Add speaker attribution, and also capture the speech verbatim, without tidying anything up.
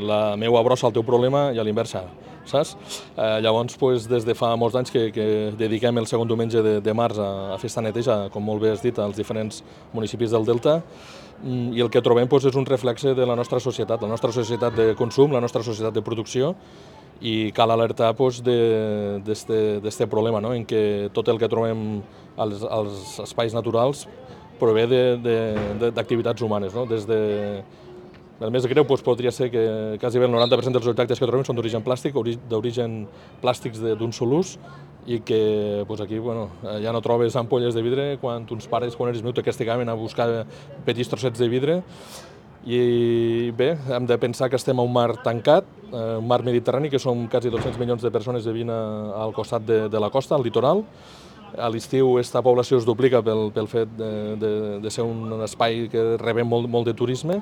Speaker 1: La meva brossa al teu problema i a l'inversa, saps? Eh, llavors, pues, des de fa molts anys que, que dediquem el segon diumenge de, de març a, a festa neteja, com molt bé has dit, als diferents municipis del Delta, i el que trobem pues, és un reflexe de la nostra societat, la nostra societat de consum, la nostra societat de producció, i cal alertar pues, d'aquest problema, no? En què tot el que trobem als, als espais naturals prové d'activitats humanes, no? Des de El més greu doncs, podria ser que quasi el noranta per cent dels objectes que trobem són d'origen plàstic, d'origen plàstics d'un sol ús, i que doncs, aquí bueno, ja no trobes ampolles de vidre quan uns pares, quan eres meu, t'esticaven a buscar petits trossets de vidre. I bé, hem de pensar que estem a un mar tancat, un mar mediterrani, que som quasi dos-cents milions de persones vivint al costat de, de la costa, al litoral. A l'estiu aquesta població es duplica pel, pel fet de, de, de ser un espai que rebem molt, molt de turisme.